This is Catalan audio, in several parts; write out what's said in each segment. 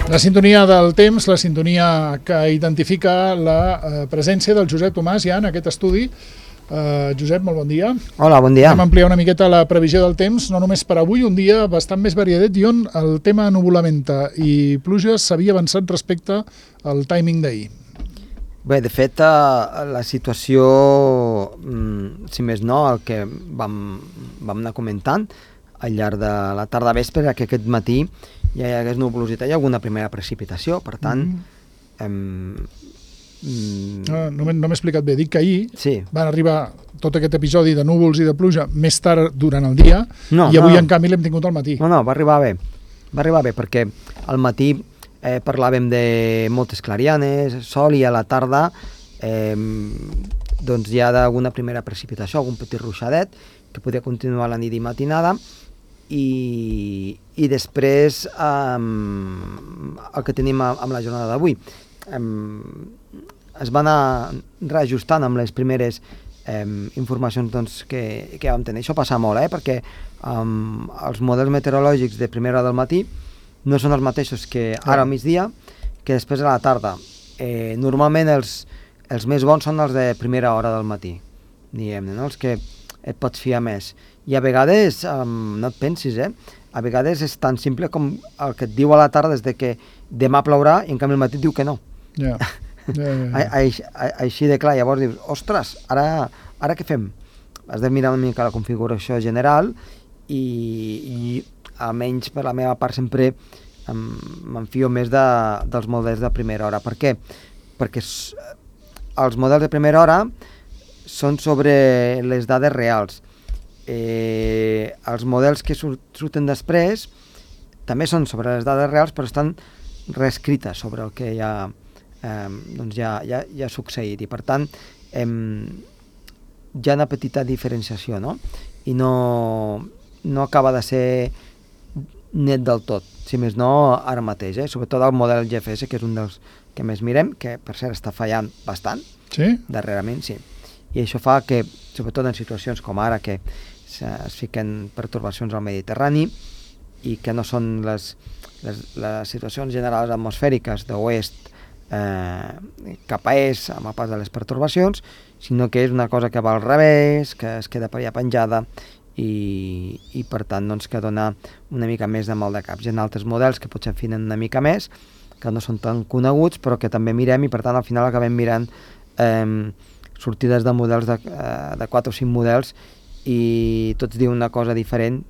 La sintonia del temps, la sintonia que identifica la presència del Josep Tomàs ja en aquest estudi. Josep, molt bon dia. Hola, bon dia. Vam ampliar una miqueta la previsió del temps, no només per avui, un dia bastant més variadet i on el tema nuvolamenta i pluges s'havia avançat respecte al timing d'ahir. Bé, de fet, la situació, si més no, el que vam anar comentant al llarg de la tarda vespre era que aquest matí ja hi hagués nuvolositat i alguna primera precipitació, per tant... No m'he explicat bé, dic que ahir van arribar tot aquest episodi de núvols i de pluja més tard durant el dia i avui en canvi l'hem tingut al matí. No, va arribar bé perquè al matí parlàvem de moltes clarianes, sol, i a la tarda doncs hi ha d'alguna primera precipitació, algun petit ruixadet que podia continuar la nit i matinada, i després el que tenim amb la jornada d'avui es va anar reajustant amb les primeres informacions doncs, que vam tenir. Això passa molt, perquè els models meteorològics de primera hora del matí no són els mateixos que ara al migdia, que després a la tarda. Normalment els més bons són els de primera hora del matí, diguem-ne, no? Els que et pots fiar més. I a vegades, no et pensis, a vegades és tan simple com el que et diu a la tarda des de que demà plourà i en canvi al matí et diu que no. Així de clar, llavors dius, ostres, ara què fem? Has de mirar una mica la configuració general i almenys per la meva part sempre m'enfio més dels models de primera hora. Per què? Perquè els models de primera hora són sobre les dades reals. Els models que surten després també són sobre les dades reals, però estan reescrites sobre el que ja ha succeït, i per tant hi ha una petita diferenciació, no? I no acaba de ser net del tot, si més no ara mateix, sobretot el model GFS, que és un dels que més mirem, que per cert està fallant bastant, darrerament, sí. I això fa que, sobretot en situacions com ara, que es fiquen pertorbacions al Mediterrani i que no són les situacions generals atmosfèriques d'oest cap a est amb el pas de les pertorbacions, sinó que és una cosa que va al revés, que es queda per allà penjada i per tant doncs, que dona una mica més de mal de caps. Hi ha altres models que potser afinen una mica més, que no són tan coneguts, però que també mirem, i per tant al final acabem mirant sortides de models de 4 o 5 models i tots diuen una cosa diferent.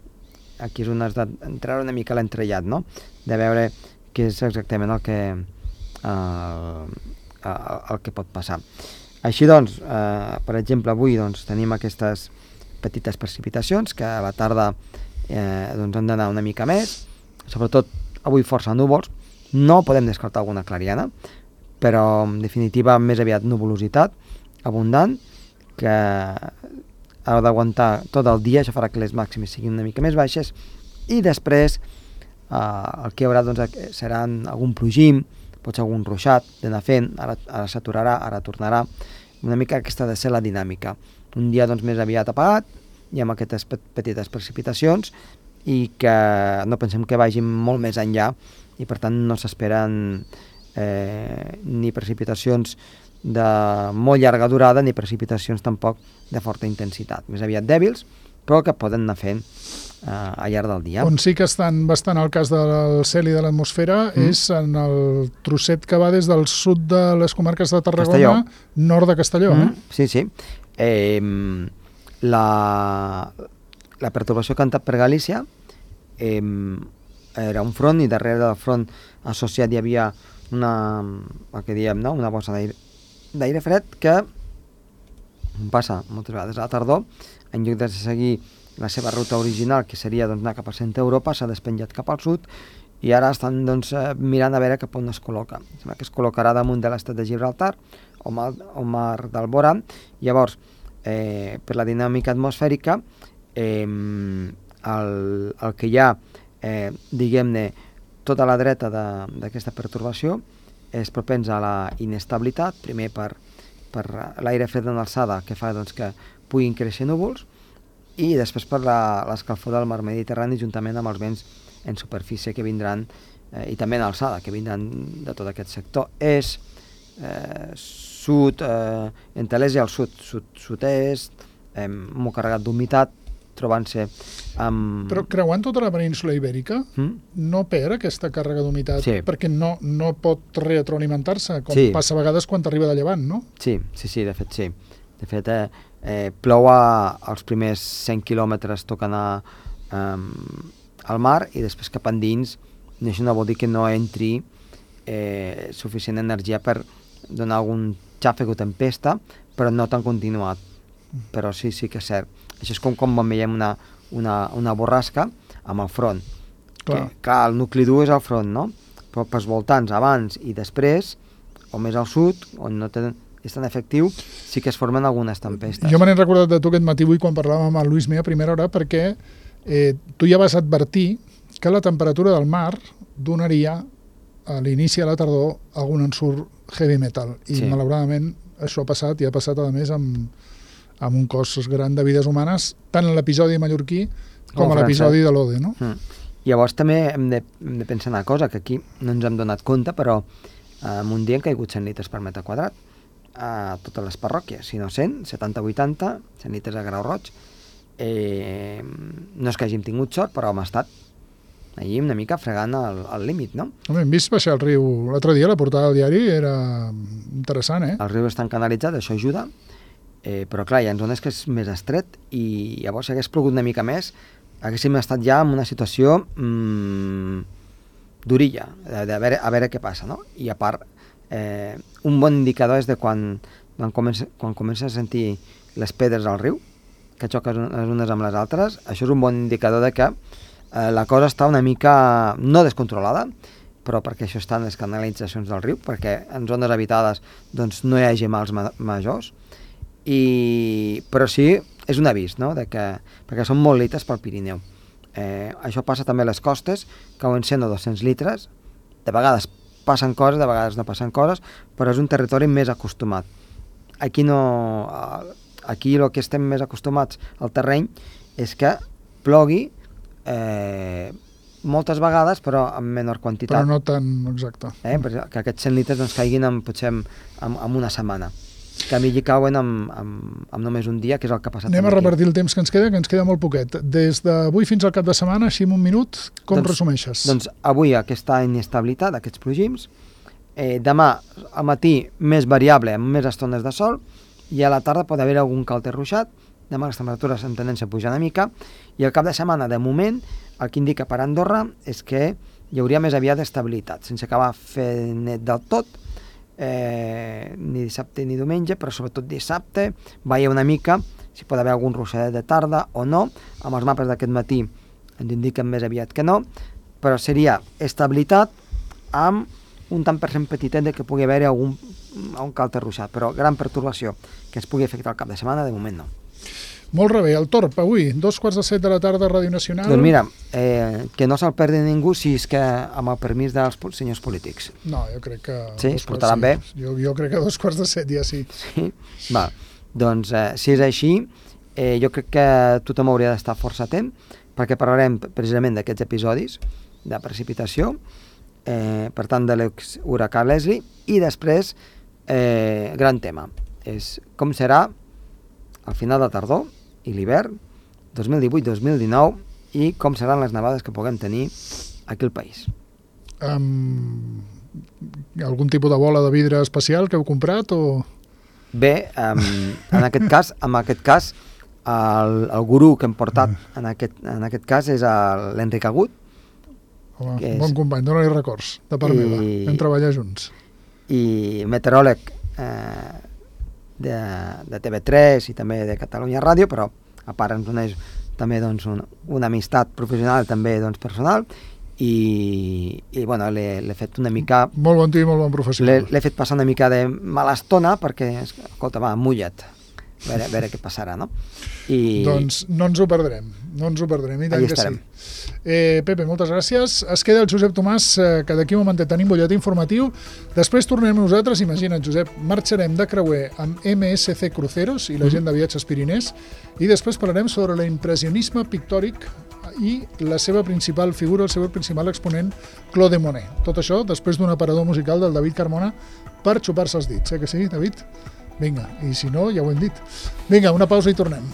Aquí és on has d'entrar una mica l'entrellat, no? De veure què és exactament el que pot passar. Així doncs, per exemple, avui tenim aquestes petites precipitacions que a la tarda han d'anar una mica més, sobretot avui força núvols. No podem descartar alguna clariana, però en definitiva més aviat nuvolositat abundant, que ha d'aguantar tot el dia. Això farà que les màximes siguin una mica més baixes, i després el que hi haurà seran algun plogim, potser algun ruixat d'anar fent, ara s'aturarà, ara tornarà, una mica aquesta ha de ser la dinàmica. Un dia més aviat apagat i amb aquestes petites precipitacions, i que no pensem que vagin molt més enllà, i per tant no s'esperen ni precipitacions de molt llarga durada ni precipitacions tampoc de forta intensitat, més aviat dèbils, però que poden anar fent al llarg del dia. On sí que estan bastant al cas del cel i de l'atmosfera és en el trosset que va des del sud de les comarques de Tarragona, nord de Castelló. Sí. La pertorbació que ha entrat per Galícia era un front, i darrere del front associat hi havia el que diem, una bossa d'aire fred que passa moltes vegades a la tardor, en lloc de seguir la seva ruta original, que seria anar cap a centre Europa, s'ha despenjat cap al sud, i ara estan mirant a veure cap on es col·loca. Sembla que es col·locarà damunt de l'estat de Gibraltar o mar d'Alborà. Llavors, per la dinàmica atmosfèrica, el que hi ha, diguem-ne, tota la dreta d'aquesta pertorbació és propens a la inestabilitat, primer per l'aire fred en alçada, que fa que puguin créixer núvols, i després per l'escalfor del mar Mediterrani, juntament amb els vents en superfície que vindran i també en alçada, que vindran de tot aquest sector, és sud, entre l'est i el sud-est, molt carregat d'humitat, trobant-se amb... Però creuant tota la península ibèrica, no perd aquesta càrrega d'humitat, perquè no pot retroalimentar-se, com passa a vegades quan t'arriba de llevant, no? Sí, de fet sí. De fet, plou als primers 100 quilòmetres toca anar al mar i després cap endins, això no vol dir que no entri suficient energia per donar algun xàfec o tempesta, però no tan continuat. Però sí que és cert. Això és com quan veiem una borrasca amb el front. Clar, el nucli dur és el front, no? Però pels voltants, abans i després, o més al sud, on no és tan efectiu, sí que es formen algunes tempestes. Jo me n'he recordat de tu aquest matí avui quan parlàvem amb el Lluís Mea a primera hora, perquè tu ja vas advertir que la temperatura del mar donaria a l'inici de la tardor algun ensurt heavy metal. I malauradament això ha passat, i ha passat a més amb un cos gran de vides humanes, tant en l'episodi mallorquí com a l'episodi de l'Ode, no? Llavors també hem de pensar una cosa, que aquí no ens hem donat compte, però en un dia han caigut 100 litres per metre quadrat a totes les parròquies, si no 100, 70-80, 100 litres a Grau Roig. No és que hàgim tingut sort, però hem estat allí una mica fregant el límit, no? Hem vist baixar el riu l'altre dia, la portada del diari era interessant, eh? El riu està canalitzat, això ajuda, però clar, hi ha zones que és més estret i llavors si hagués plogut una mica més haguéssim estat ja en una situació durilla, a veure què passa, no? I a part, un bon indicador és de quan comença a sentir les pedres al riu, que xoquen les unes amb les altres, això és un bon indicador de que la cosa està una mica, no descontrolada, però perquè això està en les canalitzacions del riu, perquè en zones habitades doncs, no hi hagi mals majors, però sí, és un avís, no? Perquè són molt litres pel Pirineu. Això passa també a les costes, cauen 100 o 200 litres, de vegades passen coses, de vegades no passen coses, però és un territori més acostumat. Aquí el que estem més acostumats al terreny és que plogui moltes vegades, però en menor quantitat. Però no tan exacte. Que aquests 100 litres doncs, caiguin potser en una setmana. Que a mi hi cauen amb només un dia, que és el que ha passat. Anem a repartir el temps que ens queda molt poquet. Des d'avui fins al cap de setmana, així en un minut, com resumeixes? Doncs avui aquesta inestabilitat, aquests plogims, demà al matí més variable, amb més estones de sol, i a la tarda pot haver algun calter ruixat, demà les temperatures en tendència a pujar una mica, i al cap de setmana, de moment, el que indica per Andorra és que hi hauria més aviat estabilitat, sense acabar fent net del tot, ni dissabte ni diumenge, però sobretot dissabte veia una mica si pot haver algun ruixadet de tarda o no. Amb els mapes d'aquest matí ens indiquen més aviat que no, però seria estabilitat amb un tant per cent petitet de que pugui haver algun calter ruixat, però gran pertorbació que es pugui afectar al cap de setmana, de moment no. Molt bé, el Torb, avui, 2:15 de la tarda, Ràdio Nacional. Doncs mira, que no se'l perdi ningú si és que amb el permís dels senyors polítics. No, jo crec que... Sí, es portaran bé? Jo crec que 2:15 ja sí. Sí? Va, doncs si és així, jo crec que tothom hauria d'estar força atent, perquè parlarem precisament d'aquests episodis de precipitació, per tant de l'exhuracà Leslie, i després, gran tema, és com serà al final de tardor i l'hivern 2018-2019 i com seran les nevades que puguem tenir aquí al país. Algun tipus de bola de vidre especial que heu comprat o...? Bé, en aquest cas el gurú que hem portat en aquest cas és l'Enric Agut. Home, bon company, dóna-li records de part meva, vam treballar junts. I meteoròleg de TV3 i també de Catalunya Ràdio, però a part ens uneix també doncs, una amistat professional, també doncs, personal, i bueno, l'he fet una mica... Molt bon tio i molt bon professional. L'he fet passar una mica de mala estona perquè, escolta, va, mulla't, a veure què passarà, no? Doncs no ens ho perdrem, i tant que sí. Pepe, moltes gràcies. Es queda el Josep Tomàs, que d'aquí un momentet tenim butlletí informatiu. Després tornem nosaltres, imagina't, Josep, marxarem de creuer amb MSC Cruceros i la gent de Viatges Pirinès, i després parlarem sobre l'impressionisme pictòric i la seva principal figura, el seu principal exponent, Claude Monet. Tot això després d'un aparador musical del David Carmona per xupar-se els dits, que sí, David? Vinga, i si no, ja ho hem dit. Vinga, una pausa i tornem.